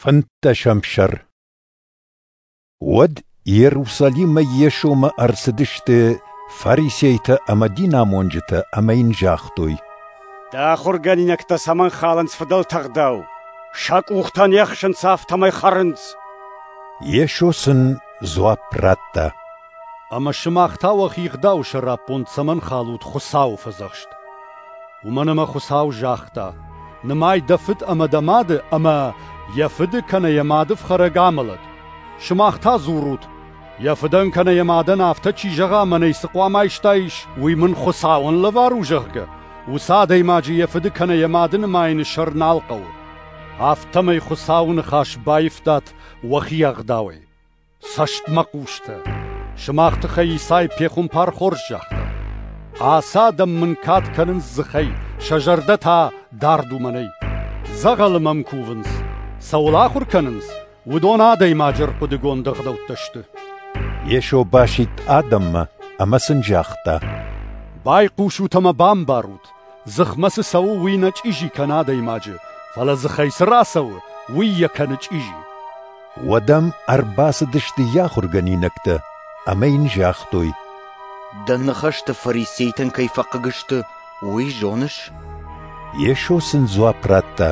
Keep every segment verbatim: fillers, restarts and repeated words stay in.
Фынддӕсӕм сӕр. Уӕд Иерусалимӕй Йесомӕ ӕрцыдысты фарисейтӕ ӕмӕ динамонджытӕ ӕмӕ йын загътой: Дӕ ахуыргӕнинӕгтӕ цӕмӕн халынц фыдӕлты ӕгъдау? Сӕ къухтӕ не хсынц, афтӕмӕй хӕрынц. Йесо сын дзуапп радта: Ӕмӕ сымах та уӕхи ӕгъдауы сӕраппонд цӕмӕн халут Хуыцауы фӕдзӕхст? Уымӕн ӕмӕ Хуыцау загъта: нымай дӕ фыд ӕмӕ дӕ мады, ӕмӕ йӕ фыды кӕнӕ йӕ мады фхӕрӕг амӕлӕд. Сымах та дзурут: йӕ фыдӕн кӕнӕ йӕ мадӕн афтӕ чи зӕгъа, мӕнӕй цы хъуамӕ айстаис, уый мын Хуыцауӕн лӕвар у, зӕгъгӕ, уыцы адӕймаджы йӕ фыды кӕнӕ йӕ мады нымайыны сӕр нал хъӕуы. Афтӕмӕй Хуыцауы ныхас баивтат уӕхи ӕгъдауӕй. Цӕстмӕхъустӕ! Сымах тыххӕй Исай пехуымпар хорз загъта: Ацы адӕм мын кад кӕнынц дзыхӕй, сӕ зӕрдӕ та дард у мӕнӕй. Дзӕгъӕлы мӕм кувынц, цӕуыл ахуыр кӕнынц, уыдон адӕймаджы ӕрхъуыдыгонд ӕгъдӕуттӕ сты. Йесо басидт адӕммӕ ӕмӕ сын загъта: Байхъусут ӕмӕ бамбарут, дзыхмӕ цы цӕуы, уый нӕ чъизи кӕны адӕймаджы, фӕлӕ дзыхӕй цы рацӕуы, уый йӕ кӕны чъизи. Уӕд ӕм ӕрбацыдысты йӕ ахуыргӕнинӕгтӕ ӕмӕ йын загътой: Дӕ ныхӕстӕ фарисейтӕн кӕй фӕхъыг сты, уый зоныс? Йесо сын дзуапп радта: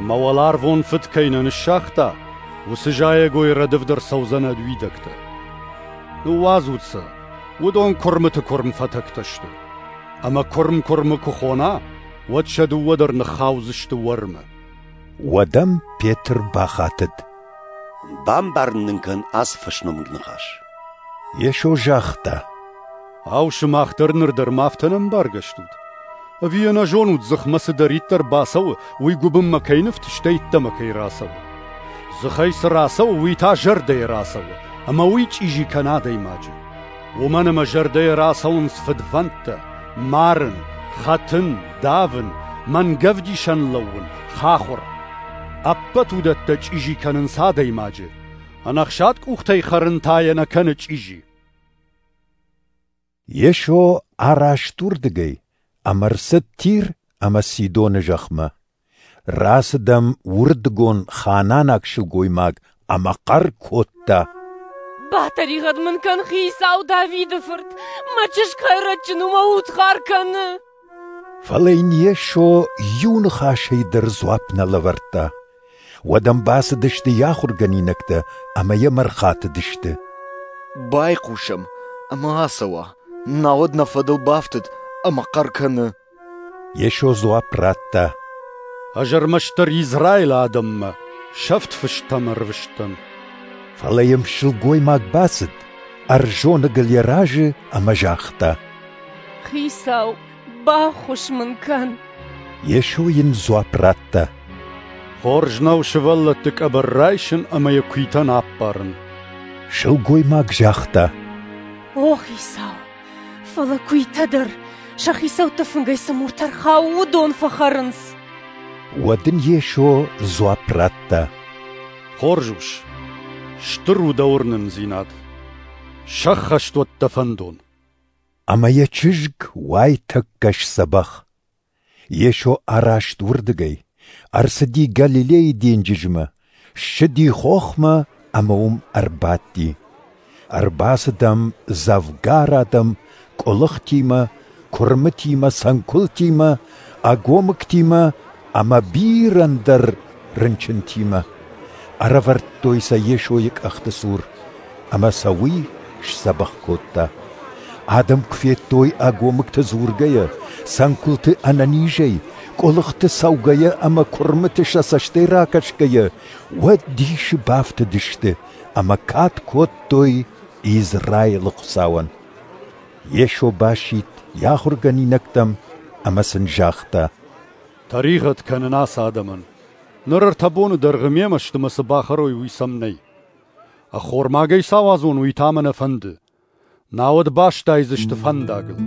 Мӕ уӕларвон Фыд кӕй нӕ ныссагъта, уыцы зайӕгой рӕдывд ӕрцӕудзӕн ӕд уидӕгтӕ. Ныууадзут сӕ, уыдон куырмыты куырм фӕтӕгтӕ сты. Ӕмӕ куырм куырмы куы хона, уӕд сӕ дыууӕ дӕр ныххаудзысты уӕрмы. Уӕд ӕм Петр бахатыд: Бамбарын нын кӕн ацы фӕсномыг ныхас. Йесо загъта: Ау, сымах дӕр ныр дӕр ма афтӕ ӕнӕмбаргӕ стут? Ӕви ӕнӕзонут, дзыхмӕ цыдӕриддӕр бацӕуы, уый гуыбынмӕ кӕй ныфты, стӕй ӕддӕмӕ кӕй рацӕуы? Дзыхӕй цы рацӕуы, уый та зӕрдӕйӕ рацӕуы, ӕмӕ уый чъизи кӕны адӕймаджы. Уымӕн ӕмӕ зӕрдӕйӕ рацӕуынц фыдвӕндтӕ, марын, хӕтын, давын, мӕнгӕвдисӕн лӕууын, хахуыр. Ӕппӕт уыдӕттӕ чъизи кӕнынц адӕймаджы. Ӕнӕхсад къухтӕй хӕрын та йӕ нӕ кӕны чъизи. Йесо араст уырдыгӕй ӕмӕ ӕрцыд Тир ӕмӕ Сидоны зӕхмӕ. Рацыд ӕм уырдыгон ханаанаг сылгоймаг ӕмӕ хъӕр кодта: Батӕригъӕд мын кӕн, Хицау, Давиды фырт! Мӕ чызг хӕйрӕджджын у, мӕ удхар кӕны! Фӕлӕ йын Йесо иу ныхасӕй дӕр дзуапп нӕ лӕвӕрдта. Уӕд ӕм бацыдысты йӕ ахуыргӕнинӕгтӕ ӕмӕ йӕм ӕрхатыдысты: Байхъусӕм ӕмӕ ацӕуа, науӕд нӕ фӕдыл бафтыд ӕмӕ хъӕр кӕны. Йесо дзуапп радта: Ӕз ӕрмӕстдӕр Израилы адӕммӕ, сӕфт фыстӕм ӕрвыст дӕн. Фӕлӕ йӕм сылгоймаг бацыд, ӕрзоныгыл йӕ разы ӕмӕ загъта: Хицау, баххуыс мын кӕн! Йесо йын дзуапп радта: Хорз нӕу сывӕллӕтты къӕбӕр райсын ӕмӕ йӕ куыйтӕн аппарын. Сылгоймаг загъта: О, Хицау, фӕлӕ куыйтӕ дӕр, сӕ хицӕутты фынгӕй цы муртӕ рхауы, уыдон фӕхӕрынц. Уӕд ын Йесо дзуапп радта: Хорз ус, стыр у дӕ уырнындзинад. Сӕххӕст уӕд дӕ фӕндон. Ӕмӕ йӕ чызг уайтӕккӕ сдзӕбӕх. Йесо араст уырдыгӕй, ӕрцыди Галилейы денджызмӕ, ссыди хохмӕ ӕмӕ уым ӕрбадти. Ӕрбацыд ӕм дзӕвгар адӕм къуылыхтимӕ, куырмытимӕ, цӕнкуылтимӕ, ӕгомыгтимӕ ӕмӕ бирӕ ӕндӕр рынчынтимӕ. Ӕрӕвӕрдтой сӕ Йесойы къӕхты цур, ӕмӕ сӕ уый сдзӕбӕх кодта. Адӕм куы федтой ӕгомыгты дзургӕйӕ, цӕнкуылты ӕнӕнизӕй, къуылыхты цӕугӕйӕ ӕмӕ куырмыты сӕ цӕстӕй ракӕсгӕйӕ, уӕд дисы бафтыдысты ӕмӕ кад кодтой Израилы Хуыцауӕн. Йесо басидт йӕ ахуыргӕнинӕгтӕм ӕмӕ сын загъта: Тӕригъӕд кӕнын ацы адӕмӕн. Ныр ӕртӕ боны дӕргъы мемӕ сты ӕмӕ цы бахӕрой, уый сӕм нӕй. Ӕххормагӕй сӕ ауадзон, уый та мӕ нӕ фӕнды. Науӕд бастайдзысты фӕндагыл.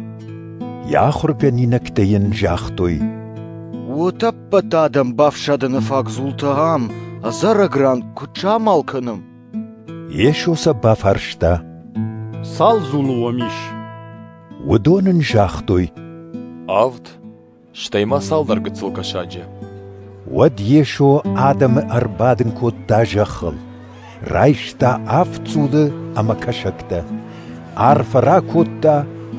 Йӕ ахуыргӕнинӕгтӕ йын загътой: Утӕппӕт адӕм бафсадыны фаг дзултӕ ам, ӕдзӕрӕг ран, куыд самал кӕнӕм? Йесо сӕ бафарста: Цал дзулы уӕм ис? Уыдон ын загътой: Авд, стӕй ма цалдӕр гыццыл кӕсаджы. Уӕд Йесо адӕмы ӕрбадын кодта зӕххыл, райста авд дзулы ӕмӕ кӕсӕгтӕ, арфӕ ракодта,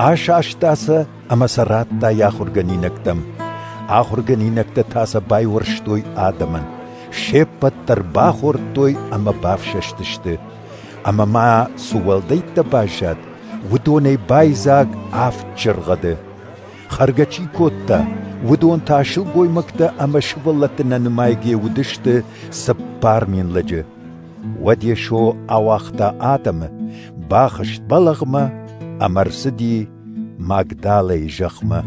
асаста сӕ ӕмӕ сӕ радта йӕ ахуыргӕнинӕгтӕм. Ахуыргӕнинӕгтӕ та сӕ байуӕрстой адӕмӕн. Се ппӕт дӕр бахордтой ӕмӕ бафсӕстысты. Ӕмӕ ма цы уӕлдӕйттӕ баззад, уыдонӕй байдзаг авд чыргъӕды. Хӕргӕ чи кодта, уыдон та сылгоймӕгтӕ ӕмӕ сывӕллӕтты нӕ нымайгӕ уыдысты цыппар мин лӕджы. Уӕд Йесо ауагъта адӕмы, бахызт бӕлӕгъмӕ ӕмӕ ӕрцыди Магдалӕйы зӕхмӕ.